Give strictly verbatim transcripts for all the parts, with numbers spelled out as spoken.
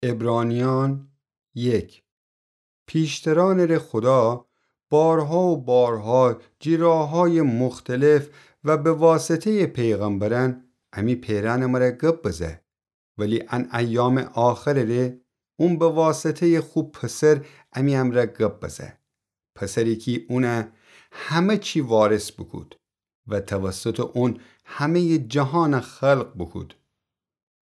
عبرانیان یک. پیشترانٚ ره خودا بارها و بارها جی راه‌های مختلف و به واسطه‌یٚ پیغمبرأن امی پئرأنٚ مره گب بزه، ولی ان ایامٚ آخرٚ ره اون به واسطه‌یٚ خو پسر امی امرأ گب بزه. پسری کی اون همه چی وارث بوکود و توسطٚ اون همه‌یٚ جهان خلق بوکود.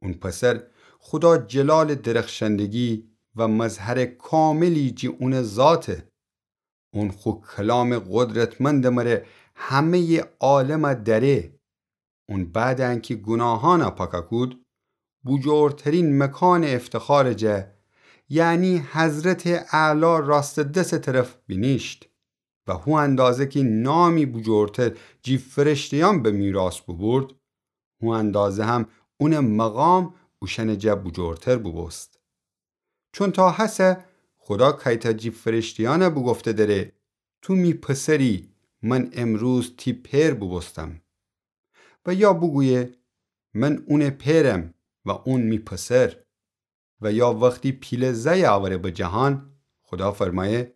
اون پسر خودا جلالٚ درخشندگی و مظهرٚ کاملی جی اونٚ ذاته. اون خو کلامٚ قدرتمندٚ مره همه‌یٚ عالم دأره. اون بعدٚ انکی گوناهأن پاک کود، بوجورترین مکانٚ افتخارٚ جا، یعنی حضرتٚ اعلی راستٚ دسٚ طرف بینیشت و هو اندازه کی نامی بوجورتر جی فرشته‌یأن به میراث بوبورد، هو اندازه هم اونٚ مقام اوشأنٚ جا بوجورتر بوبوست. چون تا هسه خودا کیتا جی فرشته‌یأن بوگفته دره: تو می پسری، من امروز تی پئر بوبوستم. و یا بوگویه: من اونٚ پئرم و اون می پسر. و یا وختی پیله زأی آوره به جهان، خودا فرمایه: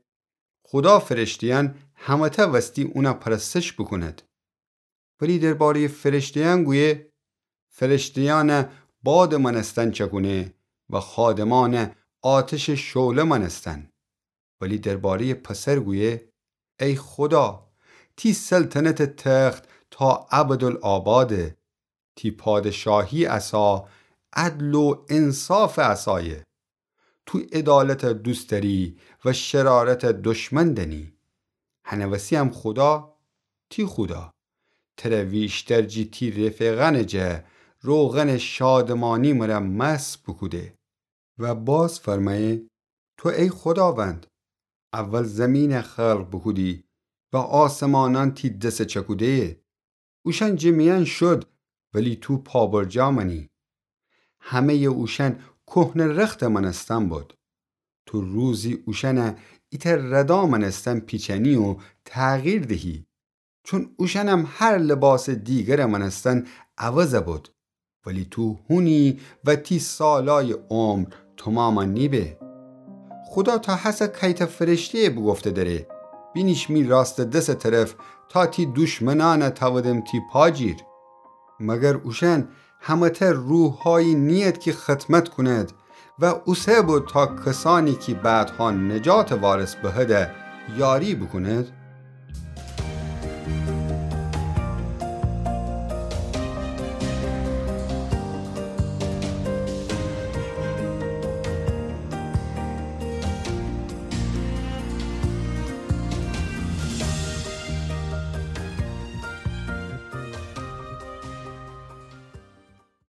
خودا فرشته‌یأن همه‌تأ وستی اون پرستش بوکوند. ولی درباره‌یٚ فرشته‌یأن گویه: فرشته‌یأن بادٚ مأنستن چکونه و خادمأن آتشٚ شعله مأنستن. ولی درباره‌یٚ پسر گویه: ای خودا، تی سلطنتٚ تخت تا ابدالآباده. تی پادشاهی عصا عدل و انصافٚ عصایه. تو عدالت دوست دأری و شرارت دشمن دأنی. هنٚ وسی هم خودا، تی خودا، تره ویشتر جی تی رفیقأنٚ جا روغنٚ شادمانی مره مست بوکوده. و باز فرمایه: تو ای خوداوند، اول زمین خلق بوکودی و آسمانأن تی دس چکوده‌یه. اوشأن جٚه میأن شد، ولی تو پابرجا مأنی. همه‌یٚ اوشأن کهنه رخت مأنستن بود. تو روزی اوشأن ایتأ ردا مأنستن پیچنی و تغییر دهی. چون اوشأنم هر لباسٚ دیگر مأنستن عوض بود، ولی تو هونی و تی سالأیٚ عمر تومام نیبه. خودا تا هسه کیتأ فرشته‌یٚ بوگفته دره: بینیش می راستٚ دسٚ طرف تا تی دوشمنأن تأودم تی پا جیر. مگر اوشأن همه‌تأ روحأیی نیید کی خدمت کونید و اوسه بود تا کسأنی کی بعدها نجاتٚ وارث بهیدی یاری بوکونید؟